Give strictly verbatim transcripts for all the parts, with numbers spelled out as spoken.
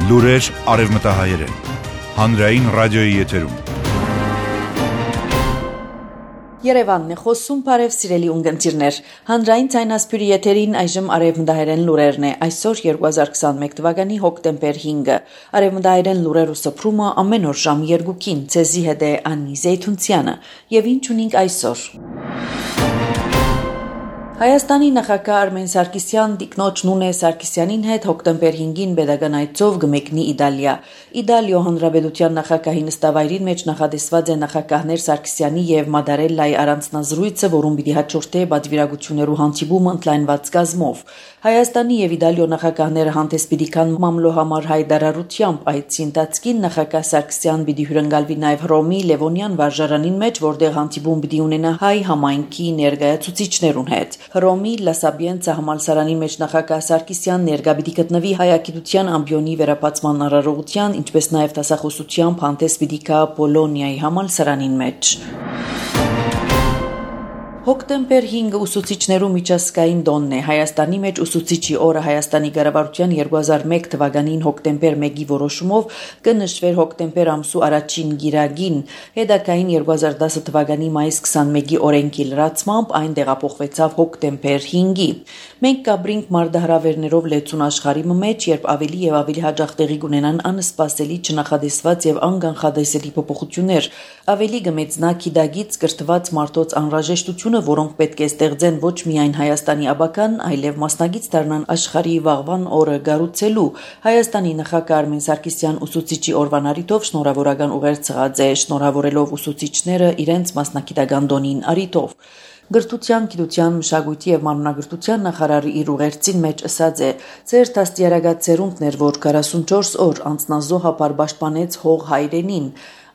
Լուրեր արևմտահայերեն, հանրային ռադիոյի եթերում։ Երևանն է խոսում, բարև սիրելի ունգընտիրներ։ Հանրային ցայնասպյուրի եթերին այժմ արևմտահայերեն լուրերն է։ Այսօր երկու հազար քսանմեկ թվականի հոկտեմբեր հինգը։ Արևմտահայերեն լուրերու սփռումը ամեն օր ժամ երկուքին։ Ցեզի հետ է Անի Զեյթունցյանը։ Եվ ինչ ունենք այսօր։ Հայաստանի նախագահ Արմեն Սարգսյան տիկնոջ Նունե Սարգսյանին հետ հոկտեմբեր հինգին pedagogan այցով գմեկնի Իտալիա։ Իտալիո հանրապետության նախագահի նստավայրին մեջ նախադեсված է նախագահներ Սարգսյանի եւ Մադարելլայի առանձնազրույցը, որում պիտի հաջորդե պատվիրակություններու հանդիպումը ընդլայնված գազմով։ Հայաստանի եւ Իտալիո նախագահները հանդես պիտի կան մամլո համար հայտարարությամբ այցի ընթացքին նախագահ Սարգսյան պիտի հյուրընկալվի նաեւ Հռոմի Լևոնյան վարժարանին մեջ, որտեղ հանդիպում պիտի ունենա հայ համայնքի ներկայացուցիչներուն հետ։ Հռոմի Լա Սաբիենցա համալսարանի մեջ նախագահ Սարգսյան ներկա պիտի գտնվի հայագիտության ամբիոնի վերապացման արարողության, ինչպես նաև դասախոսությամբ հանդես պիտի գա Պոլոնիայի համալսարանին մեջ։ Հոկտեմբեր հինգը ուսուցիչներու միջազգային տոնն է։ Հայաստանի մեջ ուսուցիչի օրը Հայաստանի կառավարության երկու հազար մեկ թվականին հոկտեմբեր մեկի որոշումով կնշվեր հոկտեմբեր ամսու առաջին գիրագին։ Հետագային երկու հազար դասը թվականի մայիս քսանմեկի օրենքի լրացմամբ այն տեղափոխվեցավ հոկտեմբեր հինգի։ Մենք կաբրինք մարտահրավերներով լեցուն աշխարհի մեջ, երբ ավելի եւ ավելի հաջող տեղի կունենան անսպասելի, չնախադեсված եւ անկանխադեսելի փոփոխություններ, ավելի գմեծնա քիդագից կրթված մարդոց անհրաժեշտությունը, որոնք պետք է ստեղծեն ոչ միայն Հայաստանի աբական, այլև մասնագիտ դառնան աշխարհի վաղվան օրը գառուցելու։ Հայաստանի նախագահ Արմեն Սարգսյան ուսուցիչի օրվան առիթով շնորհավորական ուղեր ցղած է, շնորհավորելով ուսուցիչները իրենց մասնագիտական տոնին առիթով։ Գրթության, գիտության, մշակույթի եւ մանրանկրթության նախարարի իր ուղերձին մեջ ասած է. «Ձեր դաստիարակած ծերունդներ, որ քառասունչորս օր անձնազոհաբար պաշտպանեց հող հայրենին,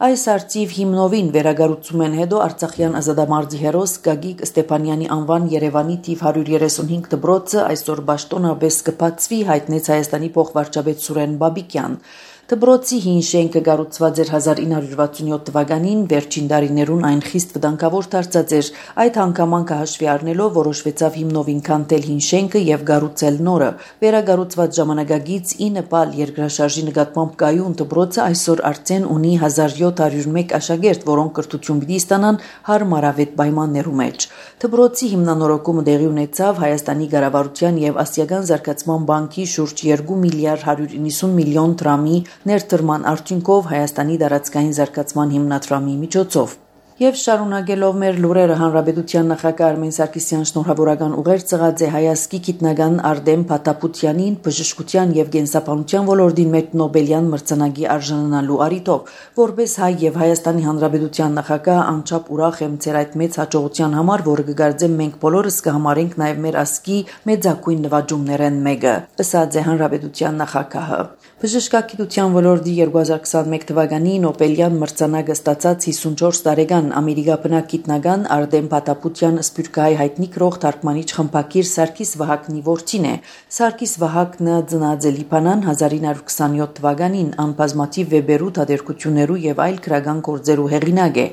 այս արծիվ հիմնովին վերագառուցում են հետո Արցախյան ազատամարտի հերոս Գագիկ Ստեփանյանի անվան Երևանի թիվ հարյուր երեսունհինգ դպրոցը այսօր պաշտոնապես կբացվի», հայտնեց Հայաստանի փոխվարչապետ Սուրեն Բաբիկյան։ Դպրոցի հին շենքը կառուցված էր հազար ինը հարյուր վաթսունյոթ թվականին, վերջին տարիներուն այն խիստ վտանգավոր դարձած էր։ Այդ հանգամանքը հաշվի առնելով որոշվեցավ հիմնովին քանդել հին շենքը եւ կառուցել նորը։ Վերագառուցված ժամանակագից ինը բալ երկրաշարժի նկատմամբ կայուն դպրոցը այսօր արդեն ունի հազար յոթ հարյուր մեկ աշակերտ, որոնք կրթություն պիտի ստանան հարմարավետ պայմաններու մեջ։ Դպրոցի հիմնանորոգումը տեղի ունեցավ Հայաստանի կառավարության եւ Ասիական զարգացման բանկի շուրջ երկու միլիարդ հարյուր իննսուն միլիոն դրամի ներդրման արդյունքով Հայաստանի տարածքային զարգացման հիմնադրամի միջոցով։ Եվ շարունակելով մեր լուրերը, հանրապետության նախագահ Արմեն Սարգսյան շնորհավորական ուղեր ցղած է հայազգի գիտնական Արտեմ Փաթափությանին բժշկության եւ կենսաբանության ոլորտին մեջ Նոբելյան մրցանակի արժանանալու առիթով, որպես հայ եւ Հայաստանի հանրապետության նախագահ անչափ ուրախ եմ ձեր այդ մեծ հաջողության համար, որը կգարձեմ մենք բոլորս կհամարենք նաեւ մեր ազգի մեծակույն նվաճումներեն մեկը, ասաց է հանրապետության նախագահը։ Բժշկագիտության ոլորտի երկու հազար քսանմեկ թվականի Նոբելյան մրցանակը ստացած հիսունչորս տարեկան ամերիկաբնակ գիտնական Արտեմ Փաթափության սփյուռքահայ հայտնի գրող թարգմանիչ խմբակիր Սարգիս Վահակնի որդին է։ Սարգիս Վահակնը ծնած է Լիբանան հազար ինը հարյուր քսանյոթ թվականին, ան բազմաթիվ վեբերու, թատերկություններու եւ այլ քրական գործերու հեղինակ է։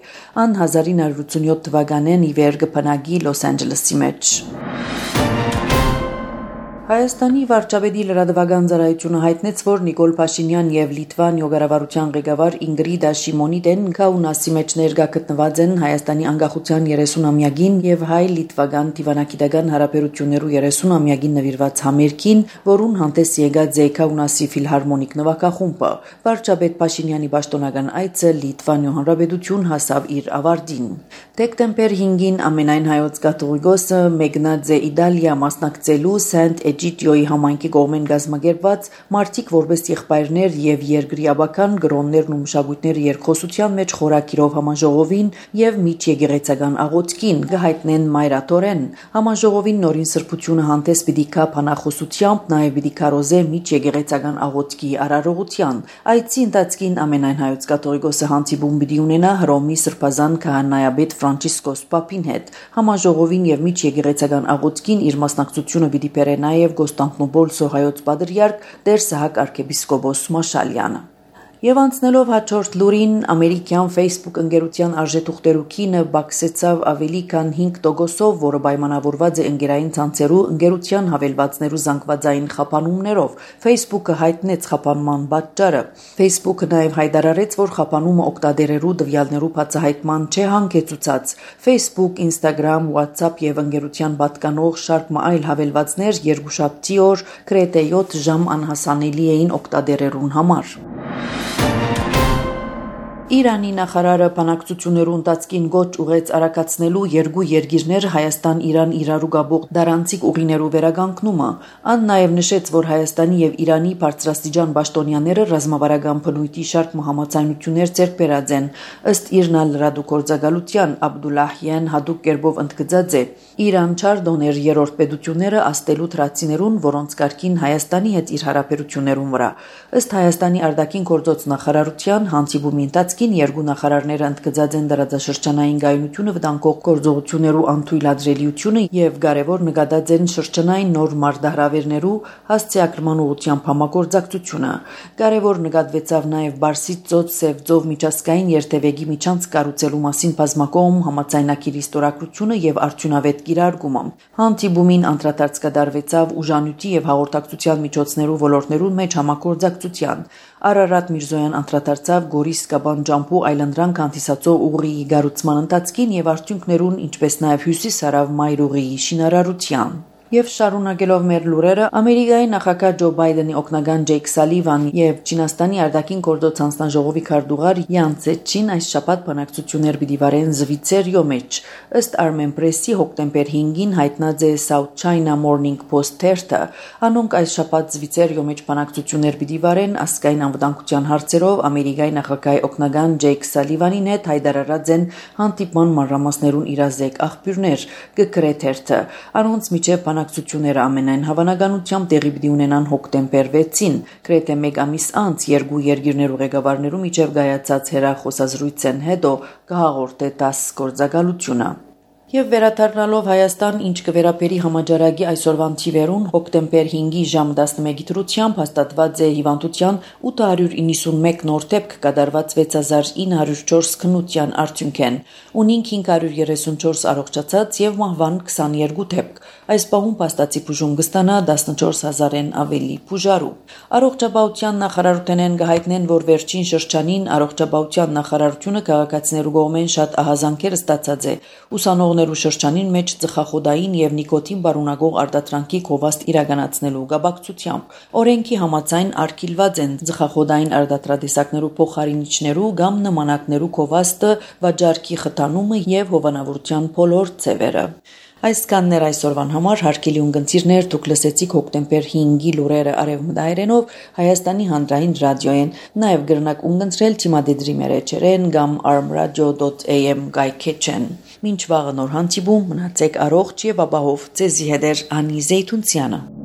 Ան հազար ինը հարյուր ութսունյոթ թվականին ի վեր կփնագի Լոս Անջելեսի մեջ։ Հայաստանի վարչապետի լրատվական ծառայությունը հայտնեց, որ Նիկոլ Փաշինյան եւ Լիտվանիո կառավարության ղեկավար Ինգրիդա Շիմոնիդեն Քաունասի մեջ ներկա գտնված են Հայաստանի անկախության երեսունամյակին եւ հայ-լիտվական դիվանագիտական հարաբերություններու երեսունամյակին նվիրված համերգին, որուն հանդես եկած է Քաունասի ֆիլհարմոնիկ նվագախումբը։ Վարչապետ Փաշինյանի պաշտոնական այցը Լիտվանիո հանրապետություն հասավ իր ավարտին։ Դեկտեմբեր հինգին ամենայն հայոց կաթողիկոսը մեկնած է Իտալիա մասնակցելու Սենտ Էջիդիոյի համայնքի կողմեն գազմագերված մարդիկ որպես եղբայրներ եւ երկրի աբական գրոններն ու մշակույթները երկխոսության մեջ խորակիրով համաժողովին եւ միջեկեղեցական աղոթքին կհայտնեն մայրաթորեն։ Համաժողովին նորին սրբությունը հանդես պիտի գա բանախոսությամբ, նաեւ պիտի քարոզե միջեկեղեցական աղոթքի արարողության։ Այցի ընթացքին ամենայն հայոց կաթողիկոսը հանդիպում պիտի ունենա Հռոմի սրբազան քահանայապետ Ֆրանցիսկոս Պապին հետ։ Համաժողովին եւ միջեկեղեցական աղոթքին իր մասնակցությունը պիտի բերե նաեւ Կոստանդնուպոլ Սոհայոց պատրիարք Տեր Սահակ arczepiskopos Մաշալյանը։ Եվ անցնելով հաջորդ լուրին, ամերիկյան Facebook ընկերության արժեթուղթերուքինը բացեցավ ավելի քան հինգ տոկոսով, որը պայմանավորված է ընկերային ցանցերու ընկերության հավելվածներու զանգվածային խափանումներով։ Facebook-ը հայտնեց խափանման պատճառը։ Facebook-ը նաև հայտարարեց, որ խափանումը օգտատերերու տվյալներու բացահայտման չէ հանգեցուցած։ Facebook, Instagram, WhatsApp եւ ընկերության պատկանող շարք այլ հավելվածներ երկուշաբթի օր գրեթե յոթ ժամ անհասանելի էին օգտատերերուն համար։ Իրանի նախարարը բանակցություններու ընթացքին գոչ ուղեց արագացնելու երկու երկիրներ Հայաստան-Իրան իրարու գաբող դարանցիկ ուղիներու վերականգնումը։ Ան նաև նշեց, որ Հայաստանի եւ Իրանի բարձրաստիճան պաշտոնյաները ռազմավարական բնույթի շարք համաձայնություններ ձեռք բերած են։ Ըստ Իրնա լրատվագործակալության Աբդուլլահյան հadoop կերպով ընդգծած է. Իրան չար դոներ երրորդ պետությունները աստելու թրացիներուն, որոնց կարգին Հայաստանի հետ իր հարաբերություններուն վրա։ Ըստ Հայաստանի արտաքին գործոց նախարարության հանդիպումի ընթացքին երկու նախարարները ընդգծած են դարաձաշրջանային գայունությունը վտանգող գործողություններու անթույլատրելիությունը եւ կարեւոր նկատած են շրջանային նոր մարտահրավերներու հասցեակրման ուղղությամբ համագործակցությունը։ Կարեւոր նկատվեցավ նաեւ Բարսից ծոց Սև ծով միջազգային երթևեկի միջանց կառուցելու մասին բազմակողմ համաձայնագիրի ստորագրությունը եւ արդյունավետ կիրարկումը։ Հանդիպումին անդրադարձ կատարվեցավ ուժանյութի եւ հաղորդակցության միջոցներու ոլորտներուն մեջ համագործակցության։ Արարատ Միրզոյան անդրադարձավ Գորիս Կաբան ջամփու այլանդրանք հանդիսացող ուղիի գառուցման ընթացքին եւ արդյունքներուն, ինչպես նաեւ հյուսիս-հարավ մայր ուղիի շինարարության։ Եվ շարունակելով մեր լուրերը, Ամերիկայի նախագահ Ջո Բայդենի օգնական Ջեյք Սալիվան եւ Չինաստանի արտաքին գործոց հանձնաժողովի քարտուղար Յան Ցեչին այս շաբաթ բանակցություններ պիտի վարեն Զվիցերիո մեջ։ Ըստ Armen Press-ի հոկտեմբեր հինգին հայտնած է South China Morning Post թերթը, անոնք այս շաբաթ Զվիցերիո մեջ բանակցություններ պիտի վարեն ազգային անվտանգության հարցերով Ամերիկայի նախագահի օգնական Ջեյք Սալիվանին հետ հայտարարած են հանդիպման մանրամասներուն իրազեկ աղբյուրներ, կգրե թերթը։ Անոնց միջև բանակցությունները ամենայն հավանականությամբ տեղի պիտի ունենան հոկտեմբեր վեցին, գրեթե մեկ ամիս անց երկու երկիրներու ղեկավարներու միջև կայացած հեռախոսազրույցեն հետո կհաղորդե դաս գործակալությունը։ Եվ վերադառնալով Հայաստան, ինչ կվերապերի համաճարակի այսօրվան թիվերուն, հոկտեմբեր հինգի ժամ տասնմեկի դրությամբ հաստատված է հիվանդության ութ հարյուր իննսունմեկ նոր դեպք կատարված վեց հազար ինը հարյուր չորս քննության արդյունքեն, ունինք հինգ հարյուր երեսունչորս առողջացած եւ մահվան քսաներկու դեպք։ Այս պահում փաստացի բուժում կստանա տասնչորս հազարեն ավելի բուժարու։ Առողջապահության նախարարութենեն կհայտնեն, որ վերջին շրջանին առողջապահության նախարարությունը քաղաքացիներու կողմեն շատ ահազանգեր ստացած է։ Ուսանողներու շրջանին մեջ ծխախոդային եւ նիկոտին բարունակող արտադրանքի գովաստ իրականացնելու կապակցությամբ օրենքի համաձայն արգելված են ծխախոդային արտադրատեսակներու փոխարինիչներու կամ նմանակներու գովաստը, վաճառքի խթանումը եւ հովանավորության բոլոր ձևերը։ Այս կաններ այսօրվան համար հարգելի ունգընտիրներ, դուք լսեցիք հոկտեմբեր հինգի լուրերը արևմտահայերենով Հայաստանի հանրային ռադիոյեն, նաև գրնակ ունգընտրել թիմադեդրի մեր էջերեն կամ armradio dot a m գայքեչեն։ Մինչ վաղը նոր հանդիպում, մնացեք առողջ եւ ապահով, ձեզի հետ է Անի Զեյթունցյանը։